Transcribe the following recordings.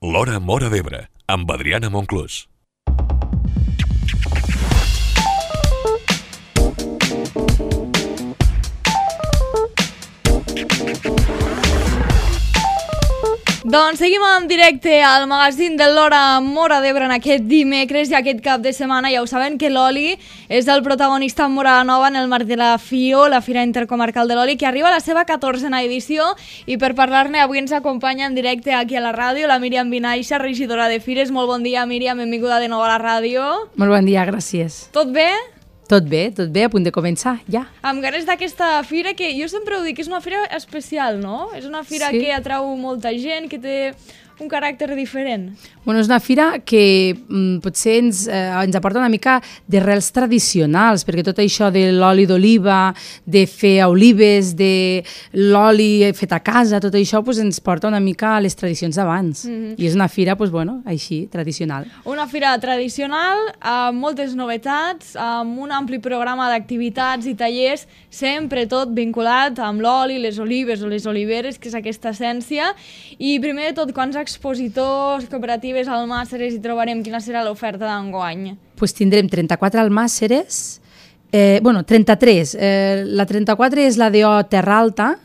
L'Hora Móra d'Ebre, amb Adriana Monclús. Doncs seguim en directe al magazín de l'Hora Móra d'Ebre en aquest dimecres i aquest cap de setmana. Ja ho saben que l'oli és el protagonista en Móra la Nova en el marc de la FIO, la Fira Intercomarcal de l'Oli, que arriba a la seva 14a edició, i per parlar-ne avui ens acompanya en directe aquí a la ràdio la Míriam Vinaixa, regidora de Fires. Molt bon dia, Míriam, benvinguda de nou a la ràdio. Molt bon dia, gràcies. Tot bé? Tot bé, a punt de començar, ja. Amb ganes d'aquesta fira, que jo sempre ho dic, és una fira especial, no? És una fira que atrau molta gent, que té un caràcter diferent. Bueno, és una fira que potser ens aporta una mica d'arrels tradicionals, perquè tot això de l'oli d'oliva, de fer olives, de l'oli fet a casa, tot això ens porta una mica a les tradicions d'abans. I és una fira, així, tradicional. Una fira tradicional, amb moltes novetats, amb un ampli programa d'activitats i tallers, sempre tot vinculat amb l'oli, les olives o les oliveres, que és aquesta essència. I primer de tot, quants expositors, cooperatives, almàsseres hi trobarem? Quina serà l'oferta d'enguany? Tindrem 34 almàsseres, 33. La 34 és la d'O Terra Alta,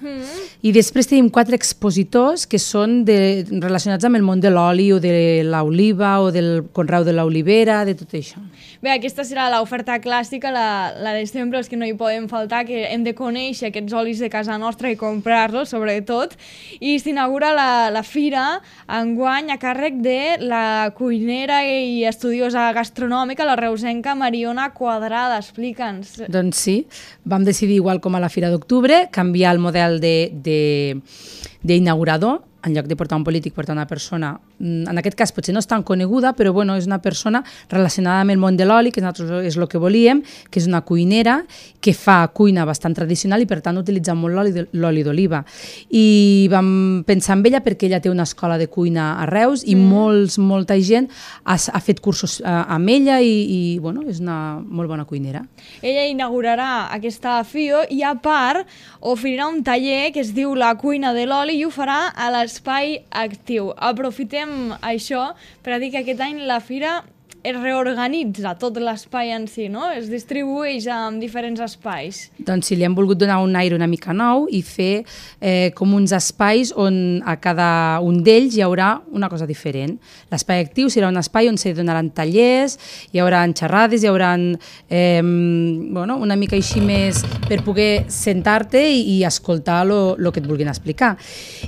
i després tenim 4 expositors que són relacionats amb el món de l'oli o de l'oliva o del conreu de l'olivera, de tot això. Bé, aquesta serà l'oferta clàssica, la de sempre, els que no hi podem faltar, que hem de conèixer aquests olis de casa nostra i comprar-los, sobretot. I s'inaugura la fira enguany a càrrec de la cuinera i estudiosa gastronòmica, la reusenca Mariona Quadrada. Explica'ns. Doncs sí, vam decidir, igual com a la Fira d'Octubre, canviar el model d'inaugurador. En lloc de portar un polític, portar una persona, en aquest cas potser no és tan coneguda, però és una persona relacionada amb el món de l'oli, que nosaltres és el que volíem, que és una cuinera, que fa cuina bastant tradicional i per tant utilitza molt l'oli d'oliva. I vam pensar en ella perquè ella té una escola de cuina a Reus i molta gent ha fet cursos amb ella i és una molt bona cuinera. Ella inaugurarà aquesta FIO i a part oferirà un taller que es diu La cuina de l'oli i ho farà a l'Espai Actiu. Aprofitem això per a dir que aquest any la fira es reorganitza tot l'espai en si, no? Es distribueix en diferents espais. Doncs sí, li hem volgut donar un aire una mica nou i fer com uns espais on a cada un d'ells hi haurà una cosa diferent. L'espai actiu serà un espai on se donaran tallers, hi haurà xerrades, hi haurà una mica així més per poder sentar-te i escoltar el que et vulguin explicar.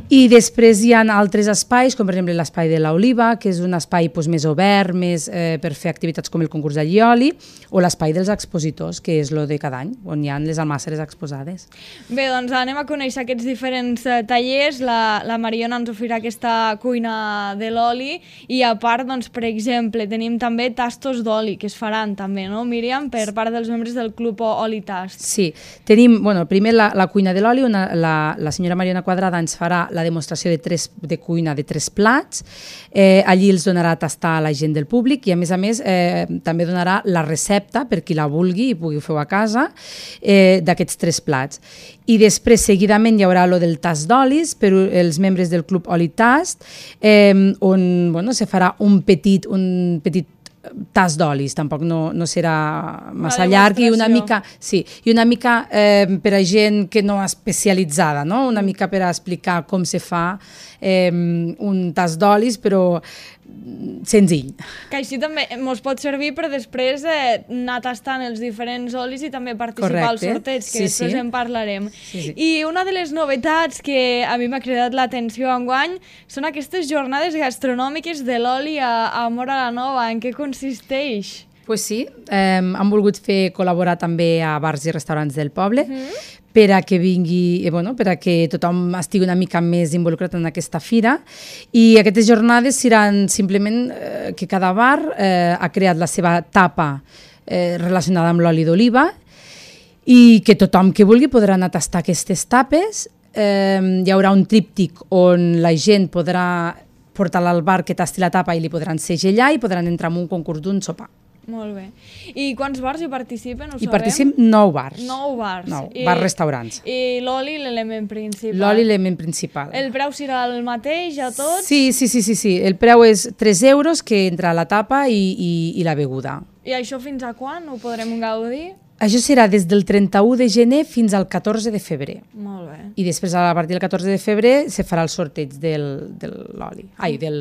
I després hi ha altres espais, com per exemple l'espai de l'oliva, que és un espai més obert, més per fer activitats com el concurs d'allioli, o l'espai dels expositors, que és el de cada any, on hi ha les almàsseres exposades. Bé, doncs anem a conèixer aquests diferents tallers. La Mariona ens oferirà aquesta cuina de l'oli i a part, per exemple, tenim també tastos d'oli, que es faran també, no, Míriam, per part dels membres del Club Oli Tast. Sí, tenim, primer la cuina de l'oli, on la senyora Mariona Quadrada ens farà la demostració de cuina de 3 plats. Allí els donarà a tastar a la gent del públic i a més també donarà la recepta per qui la vulgui i pugui fer a casa d'aquests 3 plats. I després, seguidament, hi haurà el del tast d'olis per als membres del Club Oli Tast, on se farà un petit tas d'olis, tampoc no serà massa llarg i una mica per a gent que no és especialitzada, no? Una mica per a explicar com se fa un tas d'olis, però senzill. Que així també ens pot servir per després anar tastant els diferents olis i també participar al sorteig, que després en parlarem. I una de les novetats que a mi m'ha cridat l'atenció enguany són aquestes jornades gastronòmiques de l'oli a Móra la Nova. En què consisteix? Doncs sí, hem volgut fer col·laborar també a bars i restaurants del poble, per a que vingui, per a que tothom estigui una mica més involucrat en aquesta fira. I aquestes jornades seran simplement que cada bar ha creat la seva tapa relacionada amb l'oli d'oliva i que tothom que vulgui podrà anar a tastar aquestes tapes. Hi haurà un tríptic on la gent podrà portar-la al bar que tasti la tapa i li podran segellar i podran entrar en un concurs d'un sopar. Molt bé. I quants bars hi participen, ho sabem? Hi participen 9 bars. 9 bars. 9 bars restaurants. I l'oli, l'element principal. L'oli, l'element principal. El preu serà el mateix a tots? Sí. El preu és 3 euros, que entra la tapa i la beguda. I això fins a quan ho podrem gaudir? Això serà des del 31 de gener fins al 14 de febrer. Molt bé. I després, a partir del 14 de febrer, se farà el sorteig del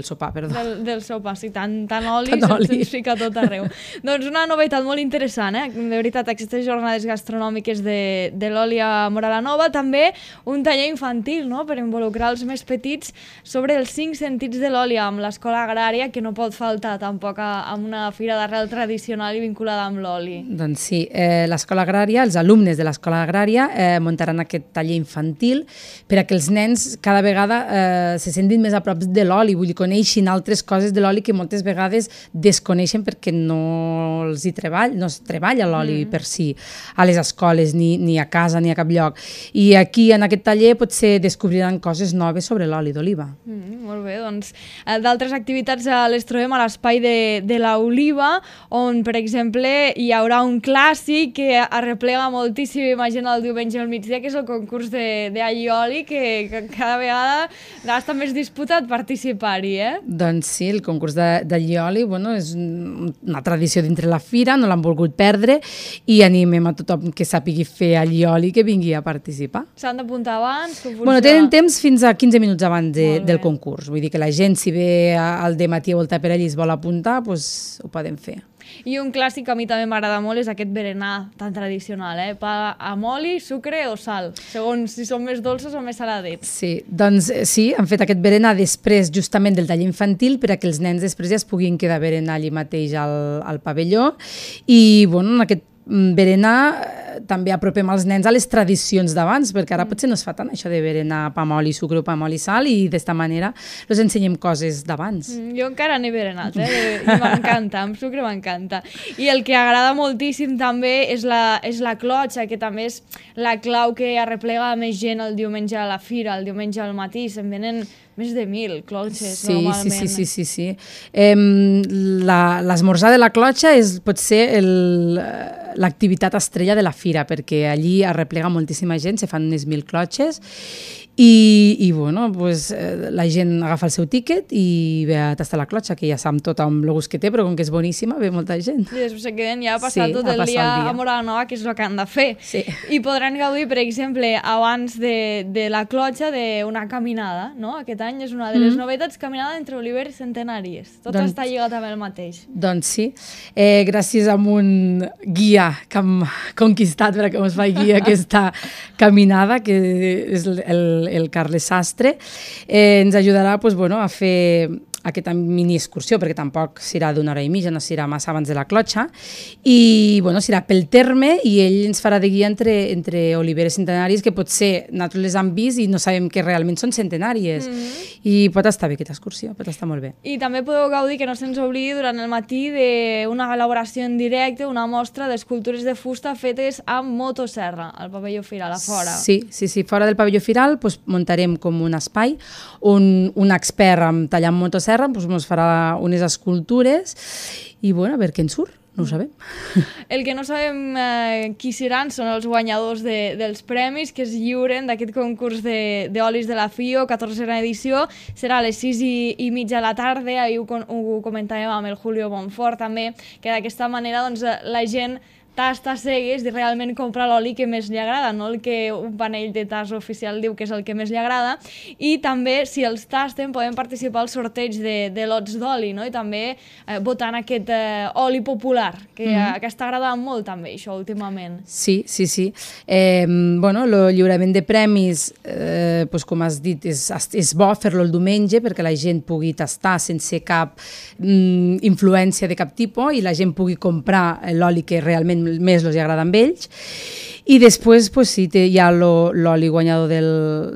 sopar, perdó. Del sopar, sí, tant oli, Tant oli. se'ns fica tot arreu. Doncs una novetat molt interessant, de veritat, aquestes jornades gastronòmiques de l'oli a Móra la Nova. També un taller infantil, no?, per involucrar els més petits sobre els 5 sentits de l'oli amb l'escola agrària, que no pot faltar tampoc amb una fira d'arrel tradicional i vinculada amb l'oli. Doncs sí, l'escola agrària, els alumnes de l'escola agrària muntaran aquest taller infantil per a que els nens cada vegada se sentin més a prop de l'oli, vull dir, coneixin altres coses de l'oli que moltes vegades desconeixen perquè no es treballa l'oli per si a les escoles, ni a casa, ni a cap lloc. I aquí, en aquest taller, potser descobriran coses noves sobre l'oli d'oliva. Molt bé, doncs d'altres activitats les trobem a l'espai de l'Oliva, on, per exemple, hi haurà un clàssic que arreplega moltíssima gent el diumenge al migdia, que és el concurs d'allioli, que cada vegada està més disputat participar-hi, Doncs sí, el concurs d'allioli, és una tradició dintre la fira, no l'han volgut perdre, i animem a tothom que sàpigui fer allioli que vingui a participar. S'han d'apuntar abans? Tenen temps fins a 15 minuts abans del concurs, vull dir que la gent, si ve al dematí a voltar per allí i es vol apuntar, ho poden fer. I un clàssic que a mi també m'agrada molt és aquest berenar tan tradicional, pa amb oli, sucre o sal, segons si són més dolços o més saladets. Sí, doncs sí, han fet aquest berenar després justament del taller infantil per a que els nens després ja es puguin quedar a berenar allí mateix al pavelló i, en aquest berenar també apropem els nens a les tradicions d'abans, perquè ara potser no es fa tant això de berenar pa amb oli, sucre o pa amb oli, sal, i d'esta manera els ensenyem coses d'abans. Jo encara n'he berenat, i m'encanta, amb sucre m'encanta. I el que agrada moltíssim també és la clotxa, que també és la clau que arreplega més gent el diumenge a la fira, el diumenge al matí, se'n venen més de 1.000 clotxes, normalment. Sí. L'esmorzar de la clotxa pot ser l'activitat estrella de la fira, perquè allí arreplega moltíssima gent, se fan unes 1.000 clotxes i la gent agafa el seu tíquet i ve a tastar la clotxa, que ja sap tot amb el gust que té, però com que és boníssima, ve molta gent. I després se queden ja a passar tot el dia a Móra la Nova, que és el que han de fer. Sí. I podran gaudir, per exemple, abans de la clotxa, d'una caminada, no? Aquest any és una de les novetats, caminada entre Oliver i Centenàries. Tot està lligat amb el mateix. Doncs sí. Gràcies a un guia que hem conquistat perquè ens faci aquesta caminada, que és el Carles Sastre, ens ajudarà a fer aquesta mini excursió, perquè tampoc serà d'una hora i mitja, no serà massa abans de la clotxa, i serà pel terme, i ell ens farà de guia entre oliveres centenàries, que potser nosaltres les hem vist i no sabem que realment són centenàries, i pot estar bé aquesta excursió, pot estar molt bé. I també podeu gaudir, que no se'ns oblidi, durant el matí d'una elaboració en directe, una mostra d'escultures de fusta fetes amb motosserra, al pavelló Firal, a fora. Sí, fora del pavelló Firal muntarem com un espai on un expert en tallar amb motosserra ens farà unes escultures i a veure què en surt, no ho sabem. El que no sabem qui seran són els guanyadors dels premis que es lliuren d'aquest concurs d'olis de la FIO, 14a edició, serà a les 6:30 de la tarda, ahir ho comentàvem amb el Julio Bonfort també, que d'aquesta manera la gent tasta cegues i realment comprar l'oli que més li agrada, no el que un panell de tas oficial diu que és el que més li agrada, i també, si els tasten, poden participar al sorteig de lots d'oli, no? I també votant aquest oli popular, que està agradant molt també, això, últimament. Sí. El lliurament de premis, com has dit, és bo fer-lo el diumenge perquè la gent pugui tastar sense cap influència de cap tipus i la gent pugui comprar l'oli que realment més els agrada amb ells. I després hi ha l'oli guanyador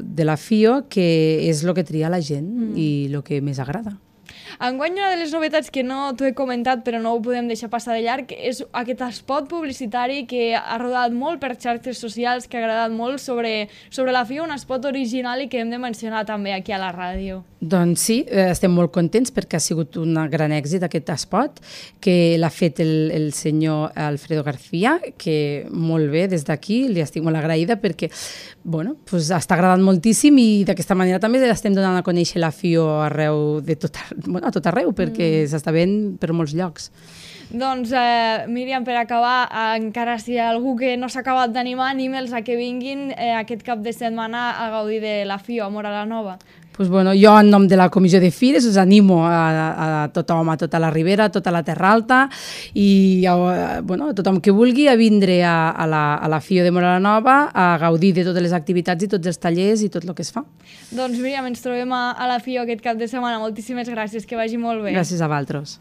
de la FIO, que és el que tria la gent i el que més agrada. Enguany una de les novetats que no t'ho he comentat però no ho podem deixar passar de llarg és aquest spot publicitari que ha rodat molt per xarxes socials, que ha agradat molt sobre la FIO, un spot original i que hem de mencionar també aquí a la ràdio. Doncs sí, estem molt contents perquè ha sigut un gran èxit aquest spot, que l'ha fet el senyor Alfredo García, que molt bé, des d'aquí li estic molt agraïda perquè bueno, pues, està agradant moltíssim i d'aquesta manera també estem donant a conèixer la FIO arreu de a tot arreu, perquè s'està veient per molts llocs. Doncs, Míriam, per acabar, encara si hi ha algú que no s'ha acabat d'animar, anime'ls a que vinguin aquest cap de setmana a gaudir de la FIO a Móra la Nova. Pues bueno, jo en nom de la Comissió de Fires us animo a tothom, a tota la Ribera, a tota la Terra Alta i bueno, a tothom que vulgui a vindre a la FIO de Móra la Nova a gaudir de totes les activitats i tots els tallers i tot el que es fa. Doncs Míriam, ens trobem a la FIO aquest cap de setmana. Moltíssimes gràcies, que vagi molt bé. Gràcies a vosaltres.